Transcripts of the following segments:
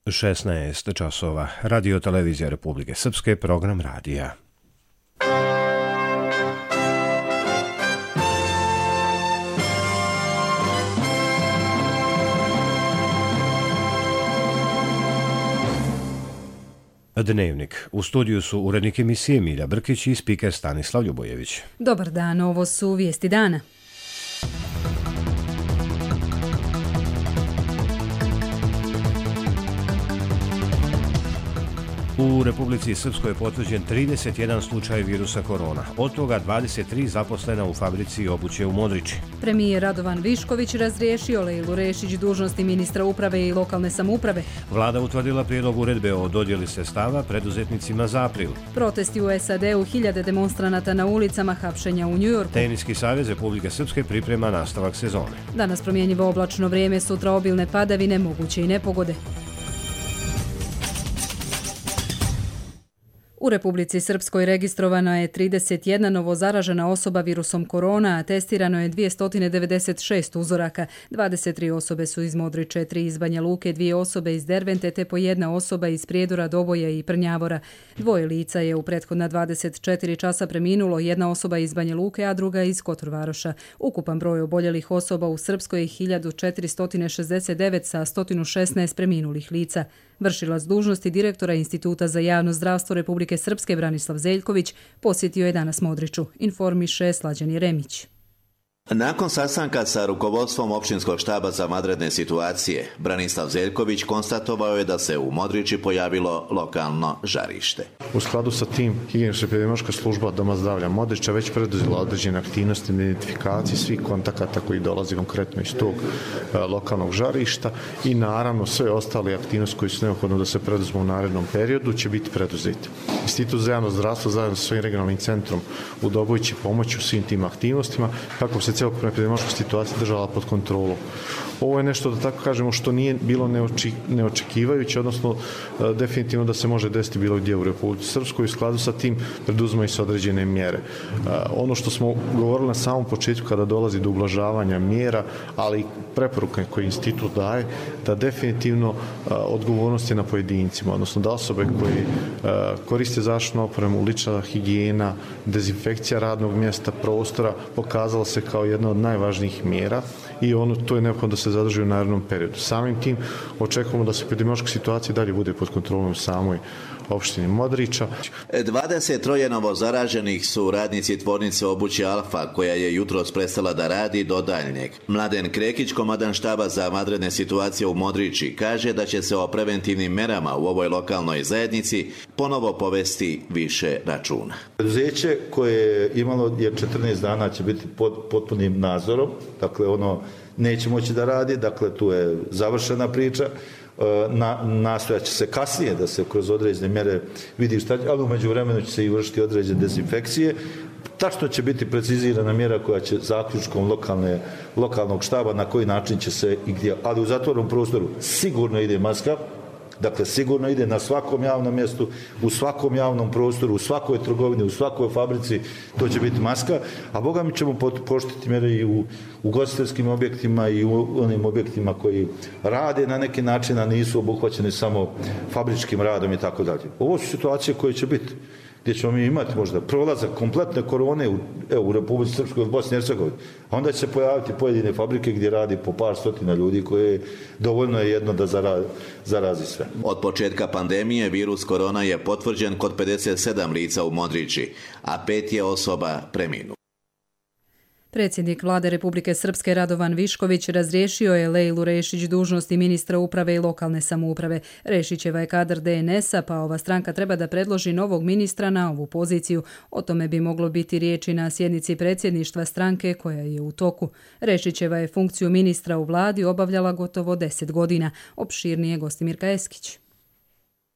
16 časova. Radio televizija Republike Srpske, program radija. Dnevnik. U studiju su urednik emisije Milja Brkić i spiker Stanislav Ljubojević. Dobar dan, ovo su vijesti dana. U Republici Srpskoj je potvrđen 31 slučaj virusa korona, od toga 23 zaposlena u fabrici obuće u Modriči. Premijer Radovan Višković razriješio Lejlu Rešić dužnosti ministra uprave i lokalne samouprave. Vlada utvrdila prijedlog uredbe o dodjeli sredstava preduzetnicima za april. Protesti u SAD-u, hiljade demonstranata na ulicama, hapšenja u Njujorku. Teniski savez Republike Srpske priprema nastavak sezone. Danas promjenjivo oblačno vrijeme, sutra obilne padavine, moguće i nepogode. U Republici Srpskoj registrovano je 31 novozaražena osoba virusom korona, a testirano je 296 uzoraka. 23 osobe su iz Modriče, 3 iz Banja Luke, 2 osobe iz Dervente te po 1 osoba iz Prijedora, Doboja i Prnjavora. 2 lica je u prethodna 24 časa preminulo, 1 osoba iz Banja Luke, a druga iz Kotorvaroša. Ukupan broj oboljelih osoba u Srpskoj je 1469 sa 116 preminulih lica. Vršilac dužnosti direktora Instituta za javno zdravstvo Republike Srpske Branislav Zeljković posjetio je danas Modriču, informiše Slađan Jeremić. Nakon sastanka sa rukovodstvom općinskog štaba za vanredne situacije, Branislav Zeljković konstatovao je da se u Modriči pojavilo lokalno žarište. U skladu sa tim, higijeničko-epidemiološka služba Doma zdravlja Modriča već preduzela određene aktivnosti na identifikaciji svih kontakata koji dolazi konkretno iz tog lokalnog žarišta i naravno sve ostale aktivnosti koje su neophodne da se preduzmu u narednom periodu će biti preduzeti. Institut za javno zdravstvo zajedno sa svojim regionalnim centrom u Doboju će pomoći u svim tim aktivnostima kako se celokupna epidemiološka situacija držala pod kontrolom. Ovo je nešto, da tako kažemo, što nije bilo neočekivajuće, odnosno definitivno da se može desiti bilo gdje u Republici Srpskoj. U skladu sa tim preduzimaju se određene mjere. Ono što smo govorili na samom početku kada dolazi do ublažavanja mjera, ali i preporuke koje institut daje, da definitivno odgovornost je na pojedincima, odnosno da osobe koji koriste zaštitnu opremu, lična higijena, dezinfekcija radnog mjesta, prostora, pokazala se kao jedna od najvažnijih mjera i to je neophodno da se zadrži u narednom periodu. Samim tim očekujemo da se epidemiološka situacija dalje bude pod kontrolom u samoj opštini Modriča. 23 novozaraženih su radnici tvornice obuće Alfa, koja je jutros prestala da radi do daljnjeg. Mladen Krekić, komandan štaba za vanredne situacije u Modriči, kaže da će se o preventivnim merama u ovoj lokalnoj zajednici ponovo povesti više računa. Preduzeće koje je imalo je 14 dana će biti pod potpunim nadzorom, dakle ono neće moći da radi, dakle tu je završena priča. Nastojat će se kasnije da se kroz određene mjere vidi šta, ali u međuvremenu će se i vršiti određene dezinfekcije. Tačno će biti precizirana mjera koja će zaključkom lokalnog štaba na koji način će se i gdje, ali u zatvorenom prostoru sigurno ide maska. Dakle, sigurno ide na svakom javnom mjestu, u svakom javnom prostoru, u svakoj trgovini, u svakoj fabrici, to će biti maska, a boga mi ćemo poštiti mjere i u ugostiteljskim objektima i u onim objektima koji rade na neki način, a nisu obuhvaćeni samo fabričkim radom i tako dalje. Ovo su situacije koje će biti, gdje ćemo mi imati možda prolazak kompletne korone u Republici Srpskoj, u Bosni i Hercegovini. A onda će se pojaviti pojedine fabrike gdje radi po par stotina ljudi koje dovoljno je jedno da zarazi sve. Od početka pandemije virus korona je potvrđen kod 57 lica u Modriči, a 5 je osoba preminulo. Predsjednik Vlade Republike Srpske Radovan Višković razriješio je Lejlu Rešić dužnosti ministra uprave i lokalne samouprave. Rešićeva je kadar DNS-a, pa ova stranka treba da predloži novog ministra na ovu poziciju. O tome bi moglo biti riječi na sjednici predsjedništva stranke koja je u toku. Rešićeva je funkciju ministra u vladi obavljala gotovo 10 godina. Opširnije Gostimirka Eskić.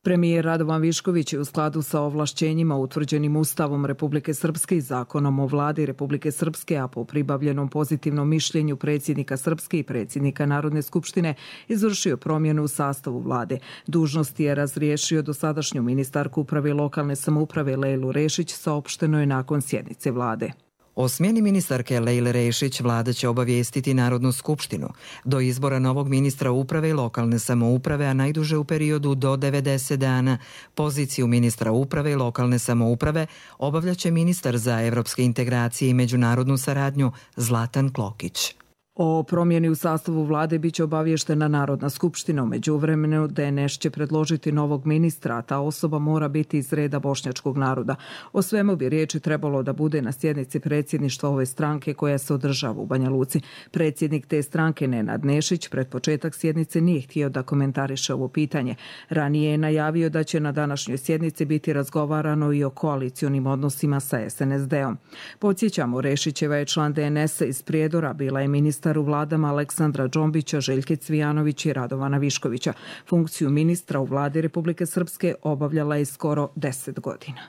Premijer Radovan Višković je u skladu sa ovlašćenjima utvrđenim Ustavom Republike Srpske i Zakonom o vladi Republike Srpske, a po pribavljenom pozitivnom mišljenju predsjednika Srpske i predsjednika Narodne skupštine, izvršio promjenu u sastavu vlade. Dužnosti je razriješio dosadašnju ministarku uprave i lokalne samouprave Lejlu Rešić, saopšteno je nakon sjednice vlade. O smjeni ministarke Lejle Rešić vlada će obavijestiti Narodnu skupštinu. Do izbora novog ministra uprave i lokalne samouprave, a najduže u periodu do 90 dana, poziciju ministra uprave i lokalne samouprave obavljaće ministar za evropske integracije i međunarodnu saradnju Zlatan Klokić. O promjeni u sastavu vlade biće obavještena Narodna skupština. U međuvremenu DNS će predložiti novog ministra, a ta osoba mora biti iz reda bošnjačkog naroda. O svemu bi riječi trebalo da bude na sjednici predsjedništva ove stranke koja se održava u Banja Luci. Predsjednik te stranke Nenad Nešić pred početak sjednice nije htio da komentariše ovo pitanje. Ranije je najavio da će na današnjoj sjednici biti razgovarano i o koalicionim odnosima sa SNSD-om. Podsjećamo, Rešićeva je član DNS-a iz Prijedora, bila je ministar u vladama Aleksandra Džombića, Željke Cvijanović i Radovana Viškovića. Funkciju ministra u vladi Republike Srpske obavljala je skoro 10 godina.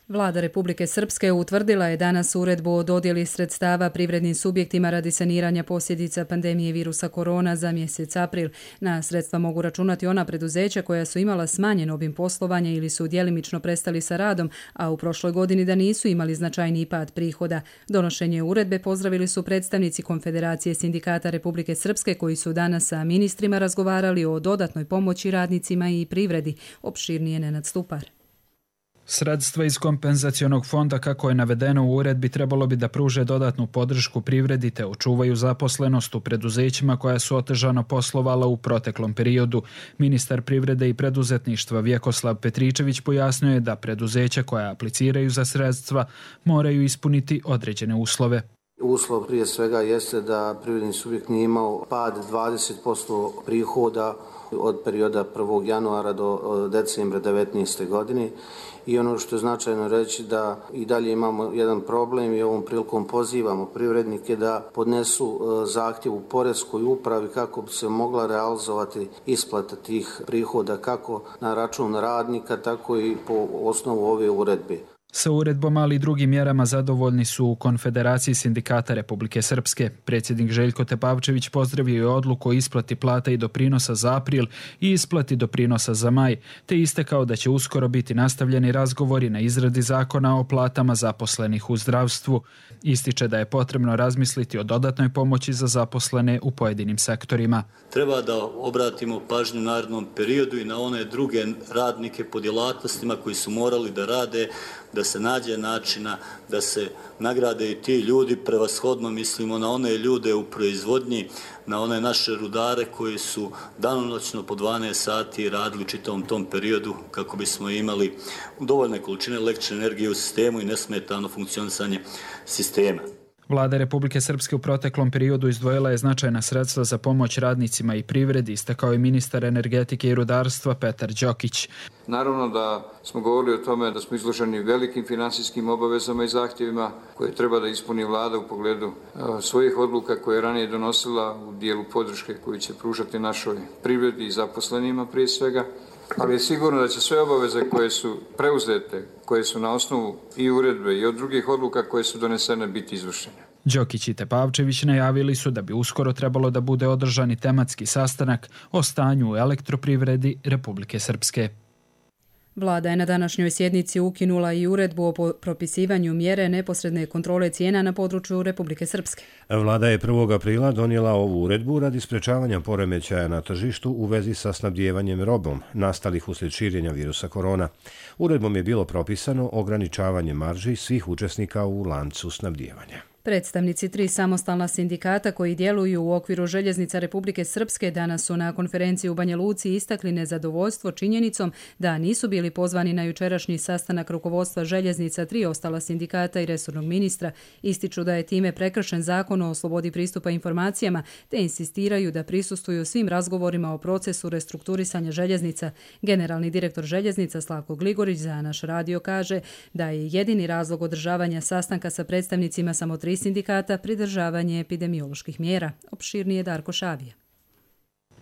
Vlada Republike Srpske utvrdila je danas uredbu o dodjeli sredstava privrednim subjektima radi saniranja posljedica pandemije virusa korona za mjesec april. Na sredstva mogu računati ona preduzeća koja su imala smanjen obim poslovanja ili su djelimično prestali sa radom, a u prošloj godini da nisu imali značajniji pad prihoda. Donošenje uredbe pozdravili su predstavnici Konfederacije sindikata Republike Srpske koji su danas sa ministrima razgovarali o dodatnoj pomoći radnicima i privredi. Opširnije Nenad Stupar. Sredstva iz kompenzacionog fonda, kako je navedeno u uredbi, trebalo bi da pruže dodatnu podršku privredi te očuvaju zaposlenost u preduzećima koja su otežano poslovala u proteklom periodu. Ministar privrede i preduzetništva Vjekoslav Petričević pojasnio je da preduzeća koja apliciraju za sredstva moraju ispuniti određene uslove. Uslov prije svega jeste da privredni subjekt nije imao pad 20% prihoda od perioda 1. januara do decembra 2019. godine. I ono što je značajno reći da i dalje imamo jedan problem i ovom prilikom pozivamo privrednike da podnesu zahtjev u poreskoj upravi kako bi se mogla realizovati isplata tih prihoda kako na račun radnika, tako i po osnovu ove uredbe. Sa uredbom, ali i drugim mjerama zadovoljni su u Konfederaciji sindikata Republike Srpske. Predsjednik Željko Tepavčević pozdravio je odluku o isplati plata i doprinosa za april i isplati doprinosa za maj, te istakao da će uskoro biti nastavljeni razgovori na izradi zakona o platama zaposlenih u zdravstvu. Ističe da je potrebno razmisliti o dodatnoj pomoći za zaposlene u pojedinim sektorima. Treba da obratimo pažnju u narednom periodu i na one druge radnike po djelatnostima koji su morali da rade, da se nađe načina da se nagrade i ti ljudi, prevashodno mislimo na one ljude u proizvodnji, na one naše rudare koji su danonoćno po 12 sati radili u čitavom tom periodu kako bismo imali dovoljne količine električne energije u sistemu i nesmetano funkcionisanje sistema. Vlada Republike Srpske u proteklom periodu izdvojila je značajna sredstva za pomoć radnicima i privredi, istakao je ministar energetike i rudarstva Petar Đokić. Naravno da smo govorili o tome da smo izloženi velikim finansijskim obavezama i zahtjevima koje treba da ispuni vlada u pogledu svojih odluka koje je ranije donosila u dijelu podrške koju će pružati našoj privredi i zaposlenima prije svega. Ali je sigurno da će sve obaveze koje su preuzete, koje su na osnovu i uredbe i od drugih odluka koje su donesene biti izvršene. Đokić i Tepavčević najavili su da bi uskoro trebalo da bude održani tematski sastanak o stanju u elektroprivredi Republike Srpske. Vlada je na današnjoj sjednici ukinula i uredbu o propisivanju mjere neposredne kontrole cijena na području Republike Srpske. Vlada je 1. aprila donijela ovu uredbu radi sprečavanja poremećaja na tržištu u vezi sa snabdijevanjem robom nastalih uslijed širenja virusa korona. Uredbom je bilo propisano ograničavanje marži svih učesnika u lancu snabdijevanja. Predstavnici 3 samostalna sindikata koji djeluju u okviru Željeznica Republike Srpske danas su na konferenciji u Banja Luci istakli nezadovoljstvo činjenicom da nisu bili pozvani na jučerašnji sastanak rukovodstva Željeznica 3 ostala sindikata i resornog ministra. Ističu da je time prekršen zakon o slobodi pristupa informacijama te insistiraju da prisustvuju svim razgovorima o procesu restrukturisanja željeznica. Generalni direktor Željeznica Slavko Gligorić za naš radio kaže da je jedini razlog održavanja sastanka sa predstavnicima samo 3 sindikata pridržavanje epidemioloških mjera. Opširnije Darko Šavija.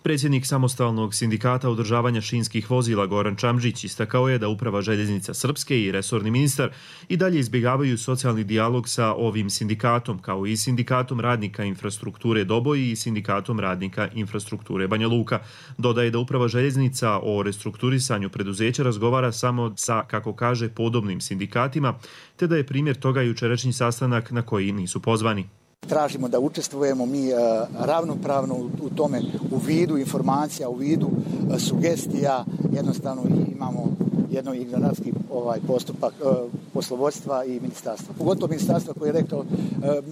Predsjednik samostalnog sindikata održavanja šinskih vozila Goran Čamžić istakao je da Uprava željeznica Srpske i resorni ministar i dalje izbjegavaju socijalni dijalog sa ovim sindikatom, kao i sindikatom radnika infrastrukture Doboj i sindikatom radnika infrastrukture Banja Luka. Dodaje da Uprava željeznica o restrukturisanju preduzeća razgovara samo sa, kako kaže, podobnim sindikatima, te da je primjer toga jučerašnji sastanak na koji nisu pozvani. Tražimo da učestvujemo mi ravnopravno u tome, u vidu informacija, u vidu sugestija. Jednostavno imamo jedno ignorantski postupak poslovodstva i ministarstva. Pogotovo ministarstva koji je rekao,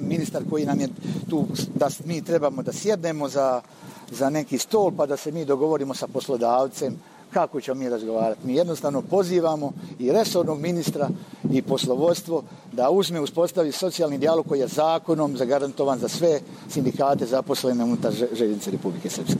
ministar koji nam je tu da mi trebamo da sjednemo za neki stol pa da se mi dogovorimo sa poslodavcem. Kako ćemo mi razgovarati? Mi jednostavno pozivamo i resornog ministra i poslovodstvo da uspostavi socijalni dijalog koji je zakonom zagarantovan za sve sindikate zaposlene unutar željeznice Republike Srpske.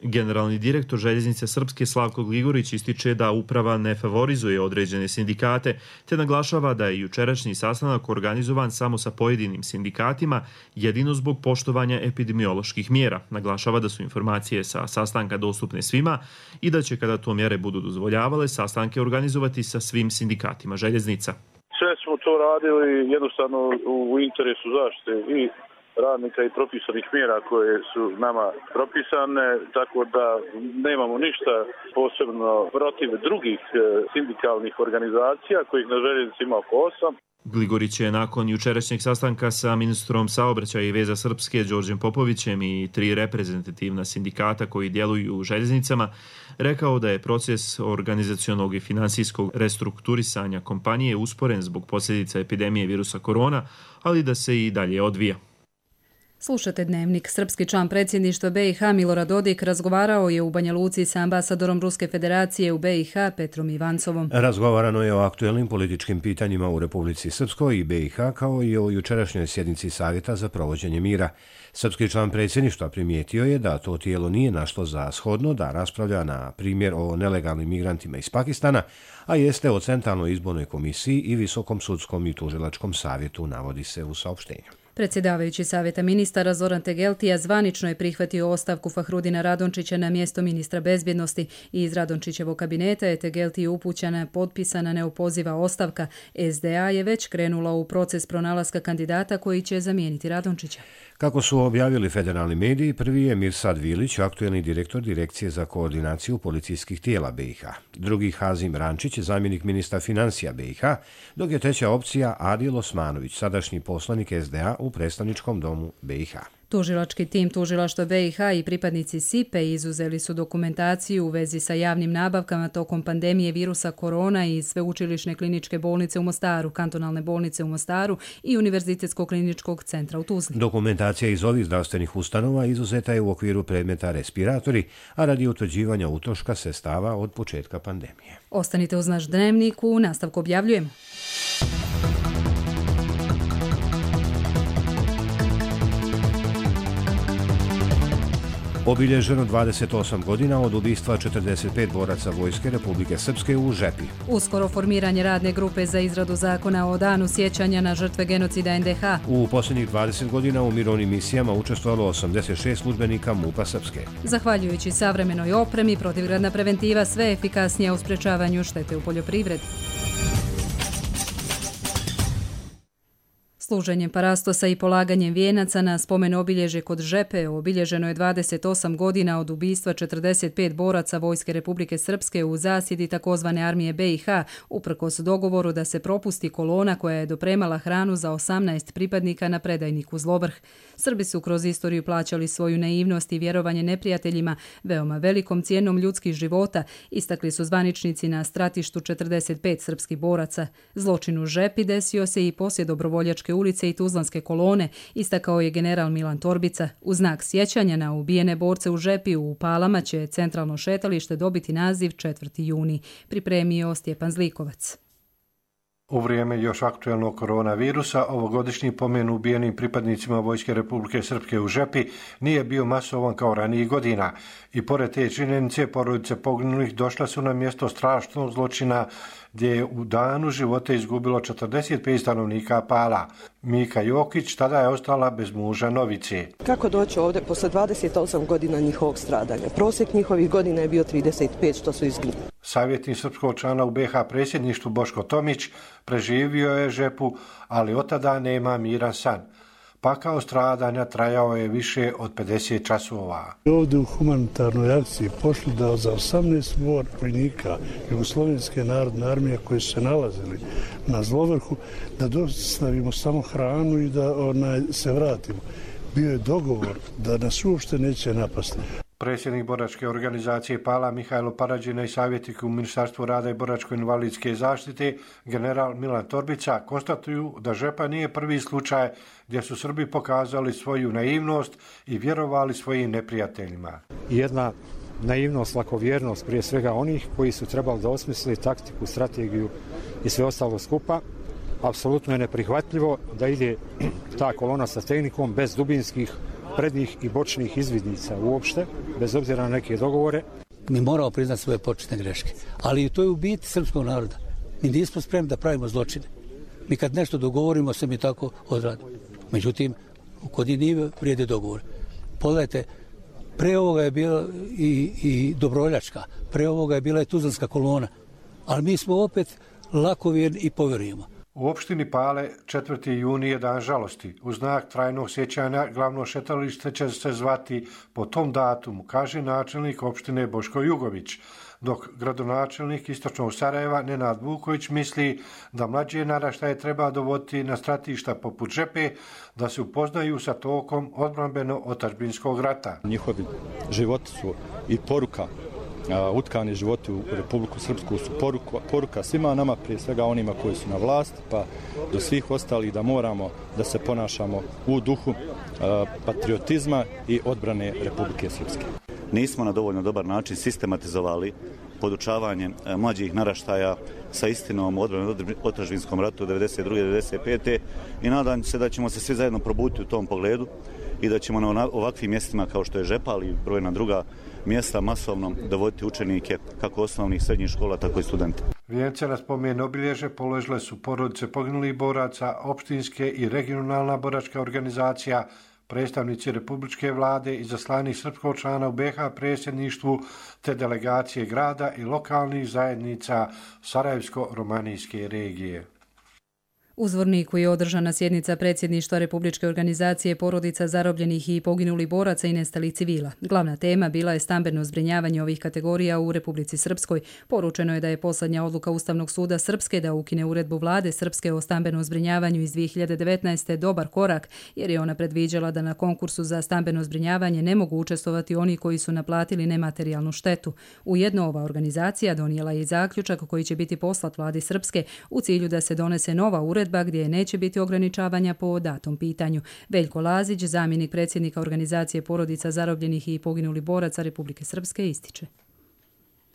Generalni direktor željeznice Srpske Slavko Gligorić ističe da uprava ne favorizuje određene sindikate, te naglašava da je jučerašnji sastanak organizovan samo sa pojedinim sindikatima, jedino zbog poštovanja epidemioloških mjera. Naglašava da su informacije sa sastanka dostupne svima i da će, kada to mjere budu dozvoljavale, sastanke organizovati sa svim sindikatima željeznica. Sve smo to radili jednostavno u interesu zaštite i radnika i propisanih mjera koje su nama propisane, tako da nemamo ništa posebno protiv drugih sindikalnih organizacija, kojih na željeznici ima oko 8. Gligorić je nakon jučerašnjeg sastanka sa ministrom saobraćaja i veza Srpske Đorđem Popovićem i 3 reprezentativna sindikata koji djeluju u željeznicama rekao da je proces organizacionog i finansijskog restrukturisanja kompanije usporen zbog posljedica epidemije virusa korona, ali da se i dalje odvija. Slušate Dnevnik. Srpski član predsjedništva BiH Milorad Dodik razgovarao je u Banja Luci sa ambasadorom Ruske federacije u BiH Petrom Ivancovom. Razgovarano je o aktuelnim političkim pitanjima u Republici Srpskoj i BiH, kao i o jučerašnjoj sjednici Savjeta za provođenje mira. Srpski član predsjedništva primijetio je da to tijelo nije našlo za shodno da raspravlja na primjer o nelegalnim migrantima iz Pakistana, a jeste o Centralnoj izbornoj komisiji i Visokom sudskom i tužilačkom savjetu, navodi se u saopštenju. Predsjedavajući savjeta ministara Zoran Tegeltija zvanično je prihvatio ostavku Fahrudina Radončića na mjesto ministra bezbjednosti i iz Radončićevog kabineta je Tegeltiji upućena potpisana neopoziva ostavka. SDA je već krenula u proces pronalaska kandidata koji će zamijeniti Radončića. Kako su objavili federalni mediji, prvi je Mirsad Vilić, aktuelni direktor Direkcije za koordinaciju policijskih tijela BiH. Drugi Hazim Rančić, zamjenik ministra financija BiH, dok je treća opcija Adil Osmanović, sadašnji poslanik SDA u predstavničkom domu BiH. Tužilački tim tužilaštva BiH i pripadnici SIPE izuzeli su dokumentaciju u vezi sa javnim nabavkama tokom pandemije virusa korona iz Sveučilišne kliničke bolnice u Mostaru, kantonalne bolnice u Mostaru i Univerzitetskog kliničkog centra u Tuzli. Dokumentacija iz ovih zdravstvenih ustanova izuzeta je u okviru predmeta respiratori, a radi utvrđivanja utroška sredstava od početka pandemije. Ostanite uz naš Dnevnik, u nastavku objavljujemo. Obilježeno 28 godina od ubistva 45 boraca Vojske Republike Srpske u Žepi. Uskoro formiranje radne grupe za izradu zakona o danu sjećanja na žrtve genocida NDH. U posljednjih 20 godina u mirovnim misijama učestvovalo 86 službenika MUP-a Srpske. Zahvaljujući savremenoj opremi, protivgradna preventiva sve efikasnija u sprečavanju štete u poljoprivredi. Služenjem parastosa i polaganjem vijenaca na spomen obilježje kod Žepe obilježeno je 28 godina od ubistva 45 boraca Vojske Republike Srpske u zasjedi takozvane armije BiH, uprkos dogovoru da se propusti kolona koja je dopremala hranu za 18 pripadnika na predajniku Zlovrh. Srbi su kroz istoriju plaćali svoju naivnost i vjerovanje neprijateljima veoma velikom cijenom ljudskih života, istakli su zvaničnici na stratištu 45 srpskih boraca. Zločin u Žepi desio se i poslije Dobrovoljačke ulice i Tuzlanske kolone, istakao je general Milan Torbica. U znak sjećanja na ubijene borce u Žepi u Palama će centralno šetalište dobiti naziv 4. juni, pripremio Stjepan Zlikovac. U vrijeme još aktuelnog koronavirusa, ovogodišnji pomen ubijenim pripadnicima Vojske Republike Srpske u Žepi nije bio masovan kao ranijih godina i pored te činjenice porodice poginulih došla su na mjesto strašnog zločina gdje je u danu života izgubilo 45 stanovnika Pala. Mika Jokić tada je ostala bez muža Novice. Kako doći ovdje posle 28 godina njihovog stradanja? Prosjek njihovih godina je bio 35 što su izginuli. Savjetnik srpskog člana u BiH predsjedništvu Boško Tomić preživio je Žepu, ali od tada nema miran san. Pakao stradanja trajao je više od 50 časova. Ovdje u humanitarnoj akciji pošli da za 18 vojnika Jugoslovenske narodne armije koji su se nalazili na Zlovrhu da dostavimo samo hranu i da se vratimo. Bio je dogovor da nas uopšte neće napasti. Predsjednik boračke organizacije Pala Mihajlo Parađina i savjetnik u Ministarstvu rada i boračko-invalidske zaštite general Milan Torbica konstatuju da Žepa nije prvi slučaj gdje su Srbi pokazali svoju naivnost i vjerovali svojim neprijateljima. Jedna naivnost, lakovjernost prije svega onih koji su trebali da osmisli taktiku, strategiju i sve ostalo skupa. Apsolutno je neprihvatljivo da ide ta kolona sa tehnikom bez dubinskih prednjih i bočnih izvidnica uopšte, bez obzira na neke dogovore. Mi moramo priznati svoje početne greške, ali to je u biti srpskog naroda. Mi nismo spremni da pravimo zločine. Mi kad nešto dogovorimo, se mi tako odradimo. Međutim, kod nije vrijede dogovor. Pogledajte, pre ovoga je bila i Dobroljačka, pre ovoga je bila i Tuzlanska kolona, ali mi smo opet lakovjerni i povjerujemo. U opštini Pale 4. juni je dan žalosti. U znak trajnog sjećanja glavno šetalište će se zvati po tom datumu, kaže načelnik opštine Boško Jugović, dok gradonačelnik istočnog Sarajeva Nenad Vuković misli da mlađe naraštaje treba dovoditi na stratišta poput Žepe da se upoznaju sa tokom odbrambeno-otadžbinskog rata. Njihovi životi su i poruka, utkani životi u Republiku Srpsku su poruka svima nama, prije svega onima koji su na vlasti, pa do svih ostalih da moramo da se ponašamo u duhu patriotizma i odbrane Republike Srpske. Nismo na dovoljno dobar način sistematizovali podučavanje mlađih naraštaja sa istinom o odbrambeno-otadžbinskom ratu 92. 95. i nadam se da ćemo se svi zajedno probuditi u tom pogledu i da ćemo na ovakvim mjestima kao što je Žepa, ali i brojna druga mjesta masovno dovoditi učenike kako osnovnih srednjih škola, tako i studente. Vijence na spomen obilježe položile su porodice poginulih boraca, opštinske i regionalna boračka organizacija, predstavnici republičke vlade, izaslanik srpskog člana u BiH predsjedništvu te delegacije grada i lokalnih zajednica Sarajevsko-romanijske regije. U Zvorniku je održana sjednica predsjedništva Republičke organizacije porodica zarobljenih i poginulih boraca i nestalih civila. Glavna tema bila je stambeno zbrinjavanje ovih kategorija u Republici Srpskoj. Poručeno je da je posljednja odluka Ustavnog suda Srpske da ukine uredbu vlade Srpske o stambenom zbrinjavanju iz 2019. dobar korak, jer je ona predviđala da na konkursu za stambeno zbrinjavanje ne mogu učestvovati oni koji su naplatili nematerijalnu štetu. Ujedno ova organizacija donijela je zaključak koji će biti poslat vladi Srpske u cilju da se donese nova uredba gdje neće biti ograničavanja po datom pitanju. Veljko Lazić, zamjenik predsjednika organizacije porodica zarobljenih i poginulih boraca Republike Srpske, ističe.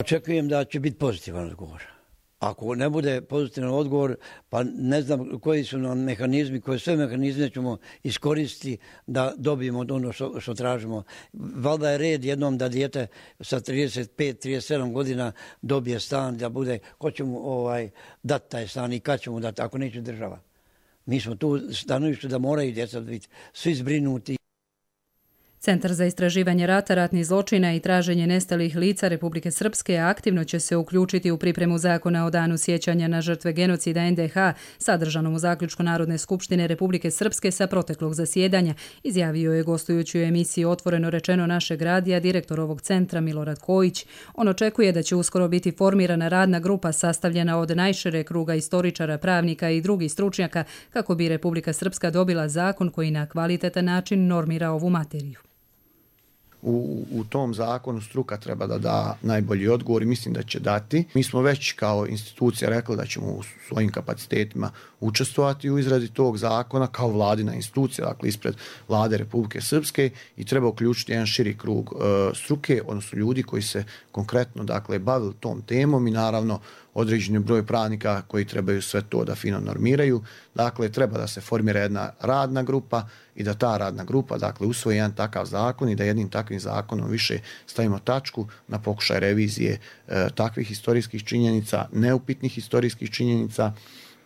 Očekujem da će biti pozitivan odgovor. Ako ne bude pozitivan odgovor, pa ne znam koji su nam mehanizmi, koje sve mehanizme ćemo iskoristiti da dobijemo ono što tražimo. Valjda je red jednom da dijete sa 35-37 godina dobije stan, da bude, ko će mu dati taj stan i kad će mu dati, ako neće država. Mi smo tu stanovištu da moraju djeca biti svi zbrinuti. Centar za istraživanje rata, ratnih zločina i traženje nestalih lica Republike Srpske aktivno će se uključiti u pripremu zakona o danu sjećanja na žrtve genocida NDH, sadržanom u zaključku Narodne skupštine Republike Srpske sa proteklog zasjedanja, izjavio je gostujući u emisiji Otvoreno rečeno našeg radija direktor ovog centra Milorad Kojić. On očekuje da će uskoro biti formirana radna grupa sastavljena od najšireg kruga istoričara, pravnika i drugih stručnjaka kako bi Republika Srpska dobila zakon koji na kvalitetan način normira ovu materiju. U tom zakonu struka treba da da najbolji odgovor i mislim da će dati. Mi smo već kao institucija rekli da ćemo u svojim kapacitetima učestvovati u izradi tog zakona kao vladina institucija, dakle ispred vlade Republike Srpske i treba uključiti jedan širi krug struke, odnosno ljudi koji se konkretno bavili tom temom i naravno određeni broj pravnika koji trebaju sve to da fino normiraju. Dakle, treba da se formira jedna radna grupa i da ta radna grupa, dakle, usvoji jedan takav zakon i da jednim takvim zakonom više stavimo tačku na pokušaj revizije takvih historijskih činjenica, neupitnih historijskih činjenica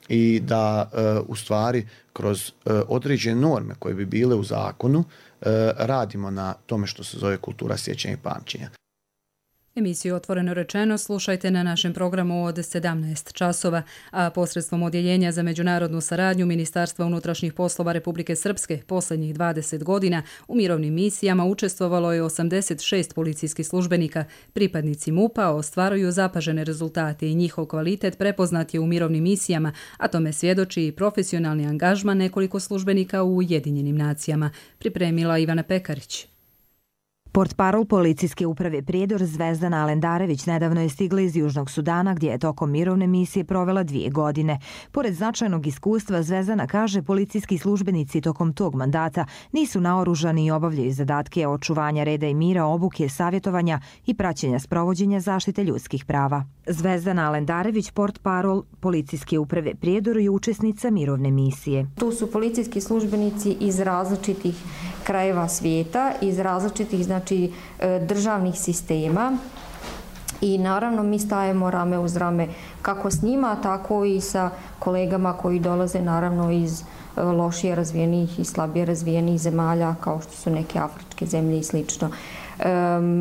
i da u stvari kroz određene norme koje bi bile u zakonu radimo na tome što se zove kultura sjećanja i pamćenja. Emisiju Otvoreno rečeno slušajte na našem programu od 17 časova, a posredstvom Odjeljenja za međunarodnu saradnju Ministarstva unutrašnjih poslova Republike Srpske posljednjih 20 godina u mirovnim misijama učestvovalo je 86 policijskih službenika. Pripadnici MUP-a ostvaruju zapažene rezultate i njihov kvalitet prepoznat je u mirovnim misijama, a tome svjedoči i profesionalni angažman nekoliko službenika u Ujedinjenim nacijama. Pripremila Ivana Pekarić. Portparol policijske uprave Prijedor Zvezdana Alendarević nedavno je stigla iz Južnog Sudana gdje je tokom mirovne misije provela 2 godine. Pored značajnog iskustva, Zvezdana kaže policijski službenici tokom tog mandata nisu naoružani i obavljaju zadatke očuvanja reda i mira, obuke, savjetovanja i praćenja sprovođenja zaštite ljudskih prava. Zvezdana Alendarević, portparol policijske uprave Prijedor, je učesnica mirovne misije. Tu su policijski službenici iz različitih krajeva svijeta, iz različitih državnih sistema i naravno mi stajemo rame uz rame kako s njima, tako i sa kolegama koji dolaze naravno iz lošije razvijenih i slabije razvijenih zemalja kao što su neke afričke zemlje i slično.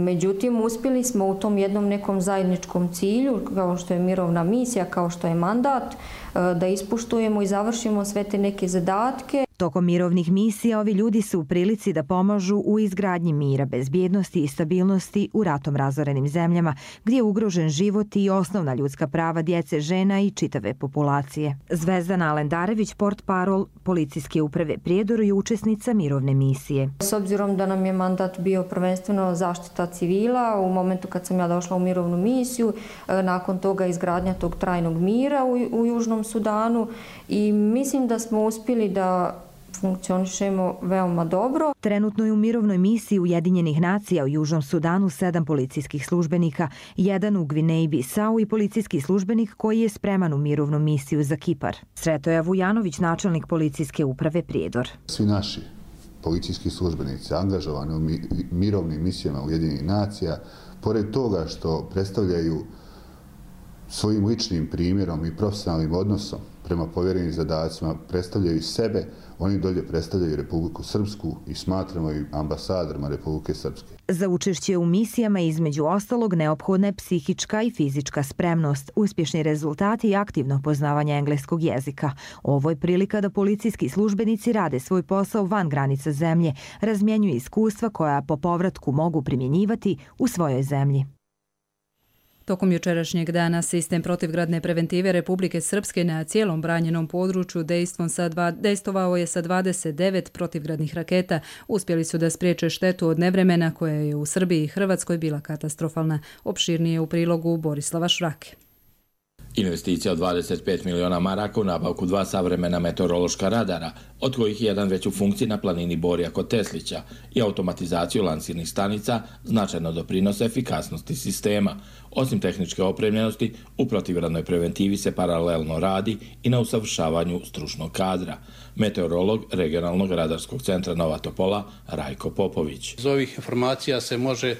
Međutim, uspjeli smo u tom jednom nekom zajedničkom cilju, kao što je mirovna misija, kao što je mandat, da ispoštujemo i završimo sve te neke zadatke. Tokom mirovnih misija ovi ljudi su u prilici da pomažu u izgradnji mira, bezbjednosti i stabilnosti u ratom razorenim zemljama, gdje je ugrožen život i osnovna ljudska prava djece, žena i čitave populacije. Zvezdana Alendarević, portparol policijske uprave Prijedor, je učesnica mirovne misije. S obzirom da nam je mandat bio prvenstveno zaštita civila, u momentu kad sam ja došla u mirovnu misiju, nakon toga izgradnja tog trajnog mira u Južnom Sudanu i mislim da smo uspjeli da funkcionišemo veoma dobro. Trenutno je u mirovnoj misiji Ujedinjenih nacija u Južnom Sudanu 7 policijskih službenika, 1 u Gvineji Bisau i policijski službenik koji je spreman u mirovnu misiju za Kipar. Sretoja Vujanović, načelnik policijske uprave Prijedor. Svi naši policijski službenici angažovani u mirovnim misijama Ujedinjenih nacija, pored toga što predstavljaju svojim ličnim primjerom i profesionalnim odnosom prema povjerenim zadacima, predstavljaju sebe, oni dolje predstavljaju Republiku Srpsku i smatramo ih ambasadorima Republike Srpske. Za učešće u misijama između ostalog neophodna je psihička i fizička spremnost, uspješni rezultati i aktivno poznavanje engleskog jezika. Ovo je prilika da policijski službenici rade svoj posao van granica zemlje, razmjenjuju iskustva koja po povratku mogu primjenjivati u svojoj zemlji. Tokom jučerašnjeg dana sistem protivgradne preventive Republike Srpske na cijelom branjenom području dejstvovao je sa 29 protivgradnih raketa. Uspjeli su da spriječe štetu od nevremena koja je u Srbiji i Hrvatskoj bila katastrofalna. Opširnije u prilogu Borislava Švrake. Investicija od 25 miliona maraka u nabavku 2 savremena meteorološka radara, od kojih je jedan već u funkciji na planini Borja kod Teslića, i automatizaciju lansirnih stanica značajno doprinose efikasnosti sistema. Osim tehničke opremljenosti, u protivgradnoj preventivi se paralelno radi i na usavršavanju stručnog kadra. Meteorolog regionalnog radarskog centra Nova Topola Rajko Popović. Iz ovih informacija se može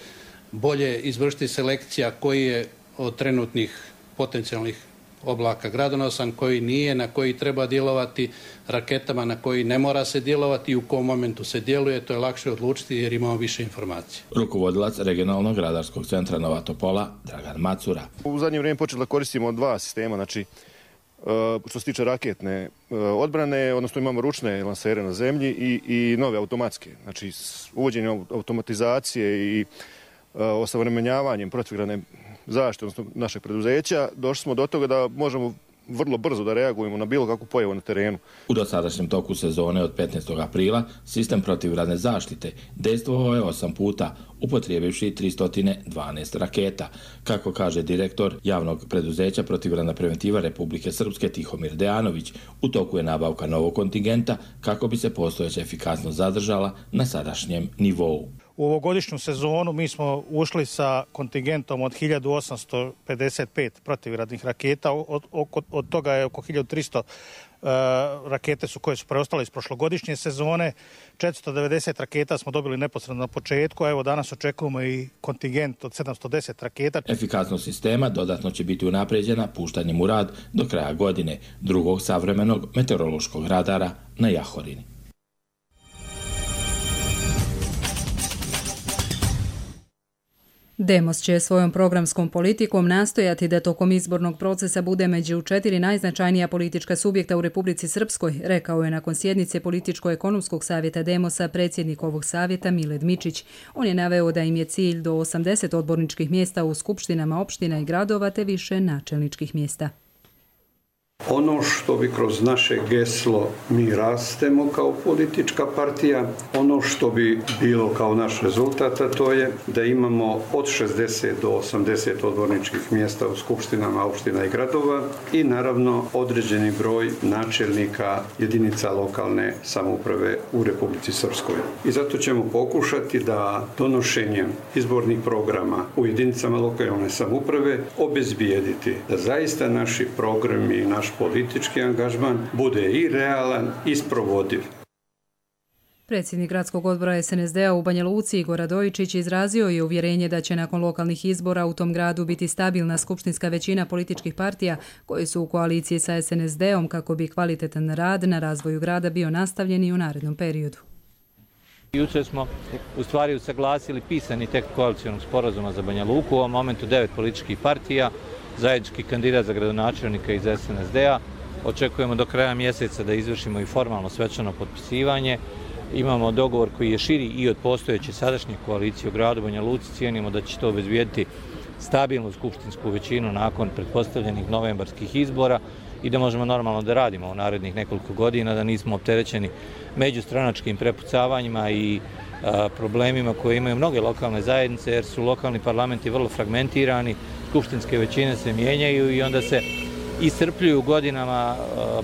bolje izvršiti selekcija koji je od trenutnih potencijalnih oblaka gradonosan, koji nije, na koji treba djelovati, raketama na koji ne mora se djelovati i u kom momentu se djeluje, to je lakše odlučiti jer imamo više informacija. Rukovodilac regionalnog radarskog centra Nova Topola Dragan Macura. U zadnje vrijeme počeli da koristimo 2 sistema, znači što se tiče raketne odbrane, odnosno imamo ručne lansere na zemlji i nove automatske. Znači uvođenjem automatizacije i osavremenjavanjem protivgradne zaštite, odnosno našeg preduzeća, došli smo do toga da možemo vrlo brzo da reagujemo na bilo kakvu pojavu na terenu. U dosadašnjem toku sezone od 15. aprila sistem protivgradne zaštite dejstvovao je 8 puta, upotrijebivši 312 raketa. Kako kaže direktor javnog preduzeća Protivgradna preventiva Republike Srpske Tihomir Dejanović, u toku je nabavka novog kontingenta kako bi se postojeća efikasnost zadržala na sadašnjem nivou. U ovogodišnju sezonu mi smo ušli sa kontingentom od 1855 protivgradnih raketa, od toga je oko 1300 rakete koje su preostale iz prošlogodišnje sezone. 490 raketa smo dobili neposredno na početku, a evo danas očekujemo i kontingent od 710 raketa. Efikasnost sistema dodatno će biti unapređena puštanjem u rad do kraja godine drugog savremenog meteorološkog radara na Jahorini. Demos će svojom programskom politikom nastojati da tokom izbornog procesa bude među 4 najznačajnija politička subjekta u Republici Srpskoj, rekao je nakon sjednice Političko-ekonomskog savjeta Demosa predsjednik ovog savjeta Miled Mičić. On je naveo da im je cilj do 80 odborničkih mjesta u skupštinama opština i gradova te više načelničkih mjesta. Ono što bi kroz naše geslo mi rastemo kao politička partija, ono što bi bilo kao naš rezultat, a to je da imamo od 60 do 80 odborničkih mjesta u skupštinama opština i gradova i naravno određeni broj načelnika jedinica lokalne samouprave u Republici Srpskoj. I zato ćemo pokušati da donošenjem izbornih programa u jedinicama lokalne samouprave obezbijediti da zaista naši programi i naš politički angažman bude i realan i sprovodiv. Predsjednik gradskog odbora SNSD-a u Banja Luci Igor Radojičić izrazio je uvjerenje da će nakon lokalnih izbora u tom gradu biti stabilna skupštinska većina političkih partija koji su u koaliciji sa SNSD-om kako bi kvalitetan rad na razvoju grada bio nastavljen i u narednom periodu. Jučer smo u stvari usaglasili pisani tekst koalicionog sporazuma za Banja Luku, u ovom momentu 9 političkih partija, zajednički kandidat za gradonačelnika iz SNSD-a. Očekujemo do kraja mjeseca da izvršimo i formalno svečano potpisivanje. Imamo dogovor koji je širi i od postojeće sadašnje koalicije u gradu Banja Luci. Cijenimo da će to obezbijediti stabilnu skupštinsku većinu nakon pretpostavljenih novembarskih izbora i da možemo normalno da radimo u narednih nekoliko godina, da nismo opterećeni međustranačkim prepucavanjima i problemima koje imaju mnoge lokalne zajednice, jer su lokalni parlamenti vrlo fragmentirani, skupštinske većine se mijenjaju i onda se iscrpljuju godinama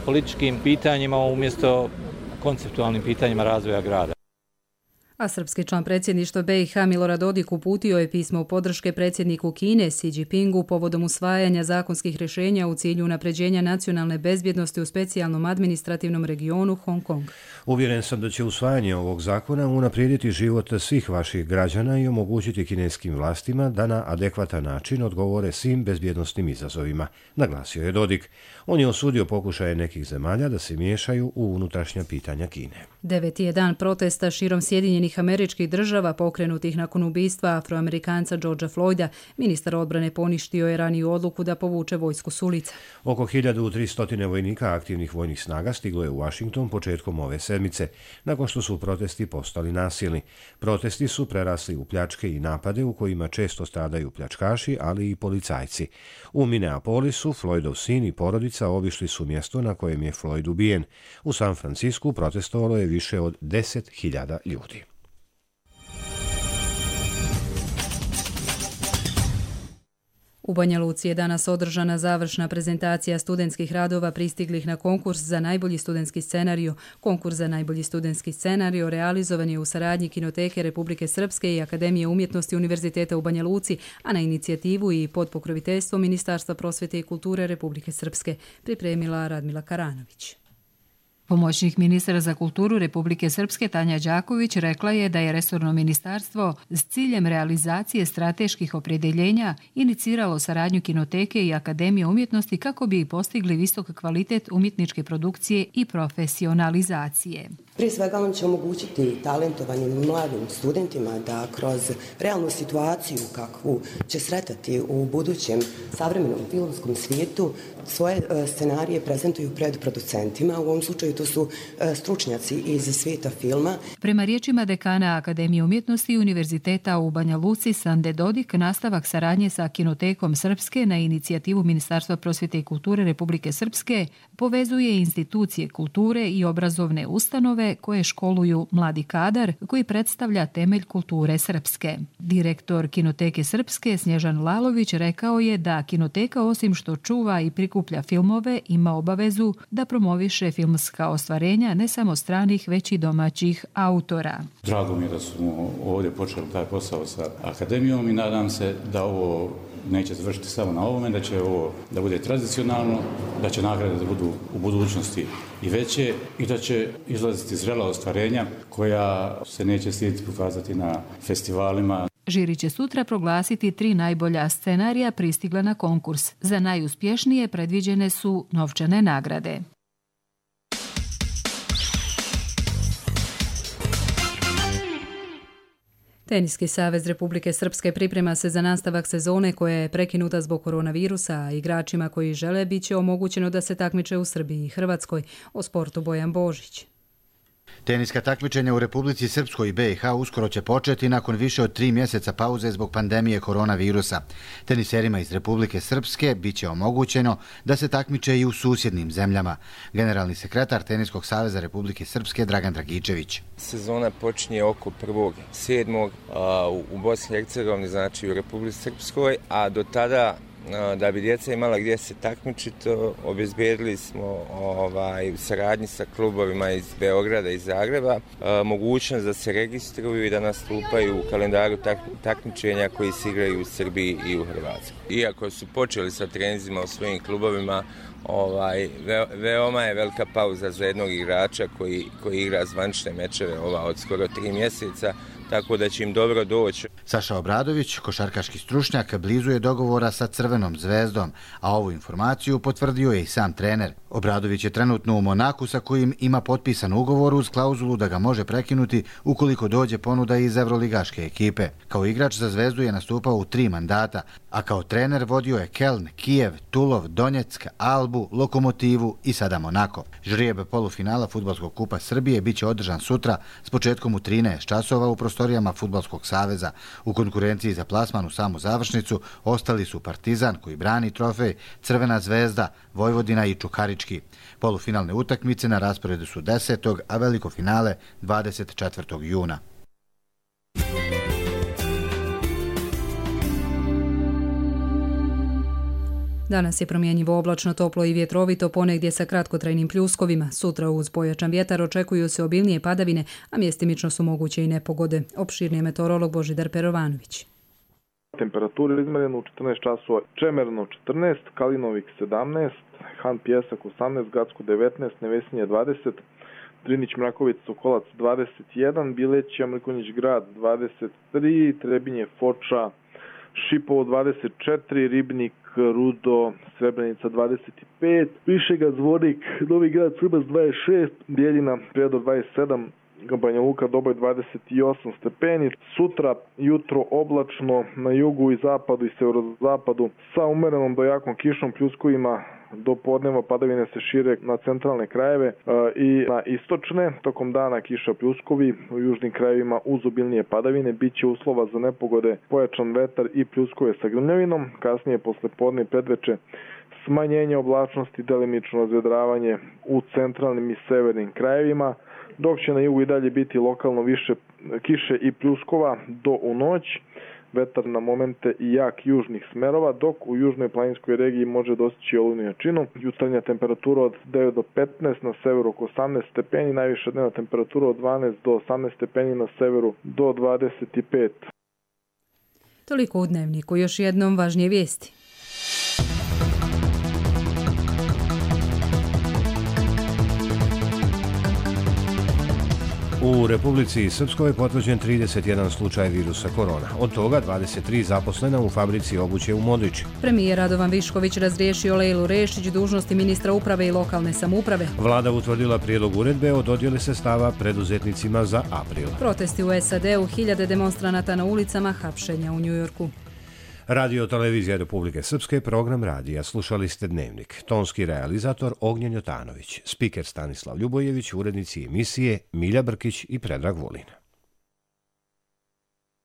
političkim pitanjima umjesto konceptualnim pitanjima razvoja grada. A srpski član predsjedništva BiH Milorad Dodik uputio je pismo podrške predsjedniku Kine Xi Jinpingu povodom usvajanja zakonskih rješenja u cilju unapređenja nacionalne bezbjednosti u specijalnom administrativnom regionu Hong Kong. Uvjeren sam da će usvajanje ovog zakona unaprijediti život svih vaših građana i omogućiti kineskim vlastima da na adekvatan način odgovore svim bezbjednosnim izazovima, naglasio je Dodik. On je osudio pokušaje nekih zemalja da se miješaju u unutrašnja pitanja Kine. 9. je dan protesta širom Sjedinjenih Američkih Država pokrenutih nakon ubistva Afroamerikanca Georgea Floyda. Ministar odbrane poništio je raniju odluku da povuče vojsku s ulica. Oko 1300 vojnika aktivnih vojnih snaga stiglo je u Washington početkom ove sedmice, nakon što su protesti postali nasilni. Protesti su prerasli u pljačke i napade u kojima često stradaju pljačkaši, ali i policajci. U Minneapolisu Floydov sin i porodica obišli su mjesto na kojem je Floyd ubijen. U San Francisku protestovalo je više od 10.000 ljudi. U Banja Luci je danas održana završna prezentacija studentskih radova pristiglih na konkurs za najbolji studentski scenario. Konkurs za najbolji studentski scenario realizovan je u saradnji Kinoteke Republike Srpske i Akademije umjetnosti Univerziteta u Banja Luci, a na inicijativu i pod pokroviteljstvom Ministarstva prosvjete i kulture Republike Srpske, pripremila Radmila Karanović. Pomoćnik ministra za kulturu Republike Srpske Tanja Đaković rekla je da je resorno ministarstvo s ciljem realizacije strateških opredjeljenja iniciralo saradnju Kinoteke i Akademije umjetnosti kako bi postigli visok kvalitet umjetničke produkcije i profesionalizacije. Prije svega on će omogućiti talentovanim mladim studentima da kroz realnu situaciju kakvu će sretati u budućem savremenom filmskom svijetu svoje scenarije prezentuju pred producentima. U ovom slučaju to su stručnjaci iz svijeta filma. Prema riječima dekana Akademije umjetnosti Univerziteta u Banja Luci Sande Dodik, nastavak saradnje sa Kinotekom Srpske na inicijativu Ministarstva prosvjete i kulture Republike Srpske povezuje institucije kulture i obrazovne ustanove koje školuju mladi kadar koji predstavlja temelj kulture srpske. Direktor Kinoteke Srpske Snježan Lalović rekao je da Kinoteka osim što čuva i prikuplja filmove ima obavezu da promoviše filmska nova ostvarenja ne samo stranih, već i domaćih autora. Drago mi je da smo ovdje počeli taj posao sa akademijom i nadam se da ovo neće završiti samo na ovome, da će ovo da bude tradicionalno, da će nagrade da budu u budućnosti i veće i da će izlaziti zrela ostvarenja koja se neće stidjeti pokazati na festivalima. Žiri će sutra proglasiti 3 najbolja scenarija pristigla na konkurs. Za najuspješnije predviđene su novčane nagrade. Teniski savez Republike Srpske priprema se za nastavak sezone koja je prekinuta zbog koronavirusa, a igračima koji žele bit će omogućeno da se takmiče u Srbiji i Hrvatskoj. O sportu Bojan Božić. Teniska takmičenja u Republici Srpskoj i BiH uskoro će početi nakon više od 3 mjeseca pauze zbog pandemije koronavirusa. Teniserima iz Republike Srpske bit će omogućeno da se takmiče i u susjednim zemljama. Generalni sekretar Teniskog saveza Republike Srpske Dragan Dragičević. Sezona počinje oko 1.7. u Bosni i Hercegovini, znači u Republici Srpskoj, a do tada da bi djeca imala gdje se takmičiti, obezbijedili smo u saradnji sa klubovima iz Beograda i Zagreba mogućnost da se registruju i da nastupaju u kalendaru takmičenja koji se igraju u Srbiji i u Hrvatskoj. Iako su počeli sa treninzima u svojim klubovima, veoma je velika pauza za jednog igrača koji igra zvanične mečeve od skoro 3 mjeseca, tako da će im dobro doći. Saša Obradović, košarkaški stručnjak, blizu je dogovora sa Crvenom zvezdom, a ovu informaciju potvrdio je i sam trener. Obradović je trenutno u Monaku sa kojim ima potpisan ugovor uz klauzulu da ga može prekinuti ukoliko dođe ponuda iz evroligaške ekipe. Kao igrač za zvezdu je nastupao u 3 mandata, a kao trener vodio je Keln, Kijev, Tulov, Donjeck, Albu, Lokomotivu i sada Monako. Žrijeb polufinala Fudbalskog kupa Srbije biće održan sutra s početkom u 13 časova u prostorijama Fudbalskog saveza. U konkurenciji za plasman u samu završnicu ostali su Partizan koji brani trofej, Crvena zvezda, Vojvodina i Čukarički. Polufinalne utakmice na rasporedu su 10. a veliko finale 24. juna. Danas je promjenjivo oblačno, toplo i vjetrovito, ponegdje sa kratkotrajnim pljuskovima. Sutra uz pojačan vjetar očekuju se obilnije padavine, a mjestimično su moguće i nepogode. Opširni meteorolog Božidar Perovanović. Temperature izmjerene u 14 časova, Čemerno 14, Kalinovik 17, Han Pjesak 18, Gacko 19, Nevesinje 20, Drinić Mrakovic Sokolac 21, Bileć Mrkonjić Grad 23, Trebinje Foča Šipovo 24, Ribnik, Rudo, Srebrenica 25, Višega, Zvornik, Novi Grad, Srbas 26, Bijeljina, Prijedor 27, Banja Luka, Doboj 28 stepeni. Sutra jutro oblačno na jugu i zapadu i severozapadu sa umerenom do jakom kišom, pljuskovima. Do podneva padavine se šire na centralne krajeve i na istočne. Tokom dana kiša, pljuskovi, u južnim krajevima uz obilnije padavine. Biće uslova za nepogode, pojačan vetar i pljuskove sa grmljavinom. Kasnije posle podne i predveče smanjenje oblačnosti, delimično razvedravanje u centralnim i severnim krajevima, dok će na jugu i dalje biti lokalno više kiše i pljuskova do u noć. Vetar na momente i jak južnih smerova, dok u južnoj planinskoj regiji može dostići olujnu jačinu. Jutarnja temperatura od 9 do 15, na severu oko 18 stepeni, najviša dnevna temperatura od 12 do 18 stepeni, na severu do 25. Toliko u Dnevniku, još jednom važnije vijesti. U Republici Srpskoj je potvrđen 31 slučaj virusa korona. Od toga 23 zaposlena u fabrici obuće u Modriči. Premijer Radovan Višković razriješio Lejlu Rešić dužnosti ministra uprave i lokalne samouprave. Vlada utvrdila prijedlog uredbe o dodjeli sredstava preduzetnicima za april. Protesti u SAD-u, 1000 demonstranata na ulicama, hapšenja u Njujorku. Radio Televizija Republike Srpske, program radija. Slušali ste Dnevnik. Tonski realizator Ognjen Jotanović, spiker Stanislav Ljubojević, urednici emisije Milja Brkić i Predrag Vulin.